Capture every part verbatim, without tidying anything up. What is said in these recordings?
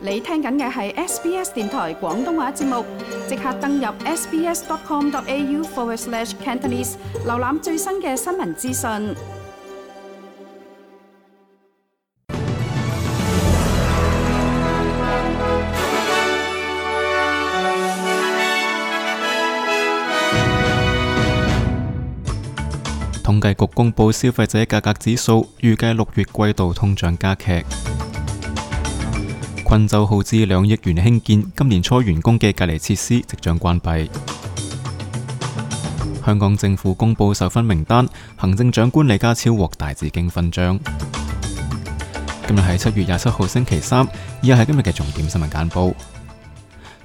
你聽緊嘅係 S B S 電台廣東話節目，即刻登入 sbs.com.au forward slash Cantonese， 瀏覽最新嘅新聞資訊。統計局公布消費者價格指數，預計六月季度通脹加劇。昆州耗資兩億元興建今年初完工嘅隔離設施即將關閉。香港政府公布授勳名單，行政長官李家超獲大紫荊勳章。今日係七月廿七號星期三，以下係今日嘅重點新聞簡報。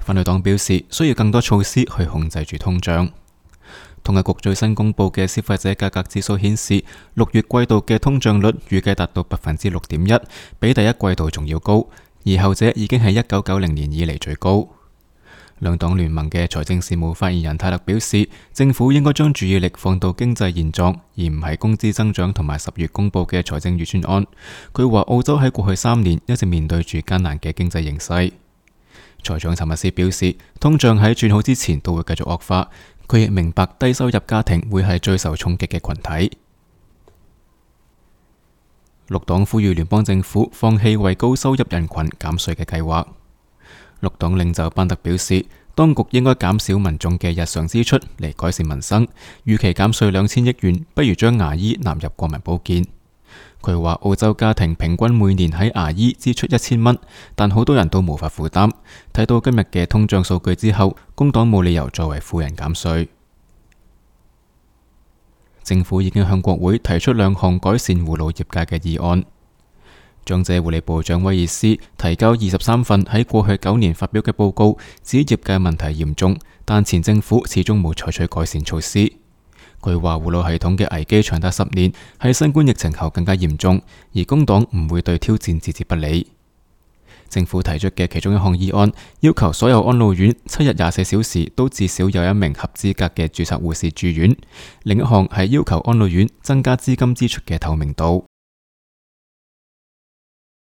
反對黨表示需要更多措施去控制住通脹。統計局最新公布嘅消費者價格指數顯示，六月季度嘅通脹率預計達到百分之六點一，比第一季度仲要高。而後者已經係一九九零年以嚟最高。兩黨聯盟嘅財政事務發言人泰勒表示，政府應該將注意力放到經濟現狀，而唔係工資增長同埋十月公布嘅財政預算案。佢話澳洲喺過去三年一直面對住艱難嘅經濟形勢。財長查密斯表示，通脹喺轉好之前都會繼續惡化。佢亦明白低收入家庭會係最受衝擊嘅群體。綠黨呼籲聯邦政府放棄為高收入人群減稅嘅計劃。綠黨領袖班特表示，當局應該減少民眾嘅日常支出嚟改善民生，預期減稅兩千億元，不如將牙醫納入國民保健。佢話澳洲家庭平均每年喺牙醫支出一千蚊，但好多人都無法負擔。睇到今日嘅通脹數據之後，工黨冇理由作為富人減稅。政府已經向國會提出兩項改善護老業界嘅議案。長者護理部長威爾斯提交二十三份喺過去九年發表嘅報告，指業界問題嚴重，但前政府始終冇採取改善措施。佢話護老系統嘅危機長達十年，喺新冠疫情後更加嚴重，而工黨唔會對挑戰置之不理。政府提出嘅其中一項議案，要求所有安老院七日廿四小時都至少有一名合資格嘅註冊護士住院。另一項係要求安老院增加資金支出嘅透明度。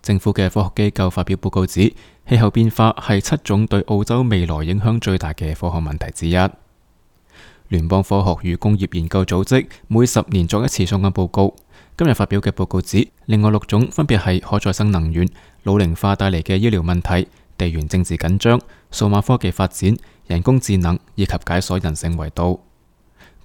政府嘅科學機構發表報告指，氣候變化係七種對澳洲未來影響最大嘅科學問題之一。聯邦科學與工業研究組織每十年作一次相關報告。今日發表嘅報告指，另外六種分別係可再生能源、老齡化帶嚟嘅醫療問題、地緣政治緊張、數碼科技發展、人工智能以及解鎖人性維度。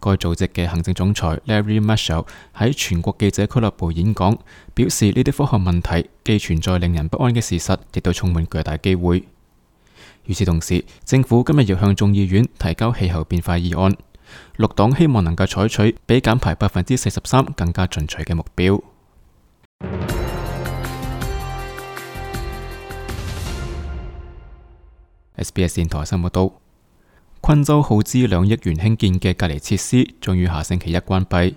該組織嘅行政總裁 Larry Marshall 喺全國記者俱樂部演講，表示呢啲科學問題既存在令人不安嘅事實，亦都充滿巨大機會。與此同時，政府今日要向眾議院提交氣候變化議案。綠黨希望能夠採取比減排百分之四十三更加進取嘅目標。S B S 電台新聞報道，昆州耗資兩億元興建嘅隔離設施將於下星期一關閉。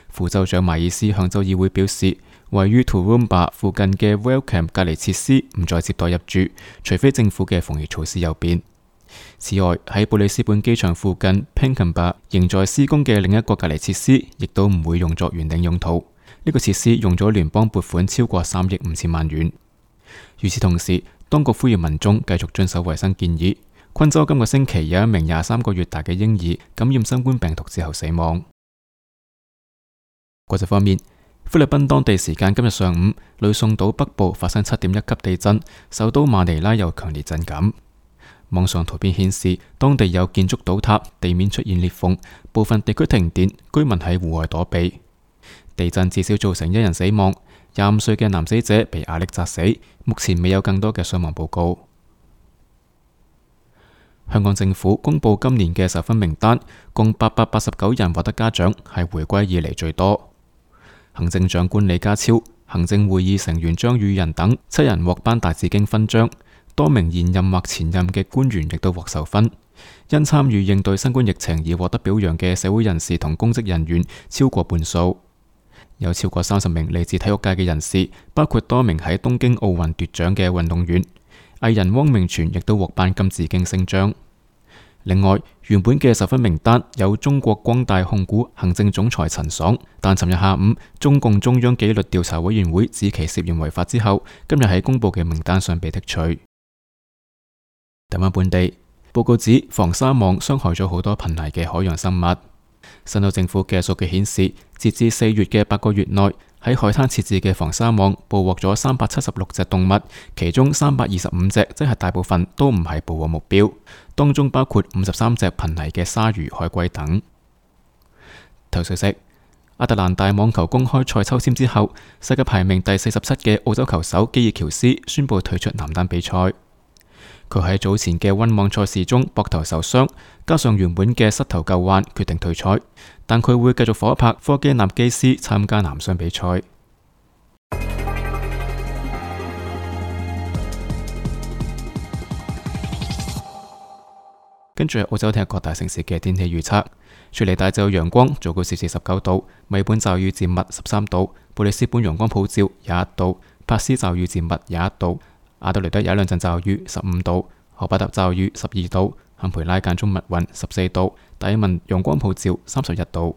副州長邁爾斯向州議會表示，位於 Toowoomba 附近嘅 Wellcome 隔離設施唔再接待入住，除非政府嘅防疫措施有變。此外，喺布里斯本機場附近 Pinkenba 仍在施工嘅另一個隔離設施，亦都唔會用作原定用途。呢、這個設施用咗聯邦撥款超過三億五千萬元。與此同時，當局呼籲民眾繼續遵守衛生建議。昆州今個星期有一名廿三個月大嘅嬰兒感染新冠病毒之後死亡。國際方面，菲律賓當地時間今日上午，呂宋島北部發生七點一級地震，首都馬尼拉有強烈震感。網上圖片顯示，當地有建築倒塌，地面出現裂縫，部分地區停電，居民喺戶外躲避。地震至少造成一人死亡，廿五歲嘅男死者被瓦礫砸死，目前未有更多嘅傷亡報告。香港政府公布今年嘅授勳名單，共八百八十九人獲得嘉獎，係回歸以嚟最多。行政長官李家超、行政會議成員張宇人等七人獲頒大紫荊勳章。多名現任或前任嘅官員亦都獲授勳，因參與應對新冠疫情而獲得表揚嘅社會人士同公職人員超過半數，有超過三十名嚟自體育界嘅人士，包括多名喺東京奧運奪獎嘅運動員。藝人汪明荃亦都獲頒金紫荊星章。另外，原本嘅授勳名單有中國光大控股行政總裁陳爽，但尋日下午中共中央紀律調查委員會指其涉嫌違法之後，今日喺公佈嘅名單上被剔除。台灣本地報告指，防沙網傷害咗好多瀕危嘅海洋生物。新州政府嘅數據顯示，截至四月嘅八個月內，喺海灘設置嘅防沙網捕獲咗三百七十六隻動物，其中三百二十五隻，即係大部分都唔係捕獲目標，當中包括五十三隻瀕危嘅鯊魚、海龜等。頭消息：亞特蘭大網球公開賽抽籤之後，世界排名第四十七嘅澳洲球手基爾喬斯宣布退出男單比賽。佢喺早前嘅溫網賽事中膊頭受傷，加上原本嘅膝頭舊患，決定退賽。但佢會繼續夥拍科基納基斯參加男雙比賽。跟住係澳洲聽日各大城市嘅天氣預測：雪梨大晝陽光，最高攝氏十九度；墨爾本驟雨漸密十三度；布里斯本陽光普照廿一度；珀斯驟雨漸密廿一度；阿德雷德有一兩陣驟雨十五度；荷巴特驟雨十二度；坎培拉間中密雲十四度；達爾文陽光普照三十一度。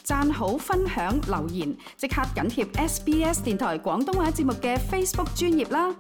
讚好、分享、留言，即刻緊貼 S B S 電台廣東話節目嘅 Facebook 專頁啦！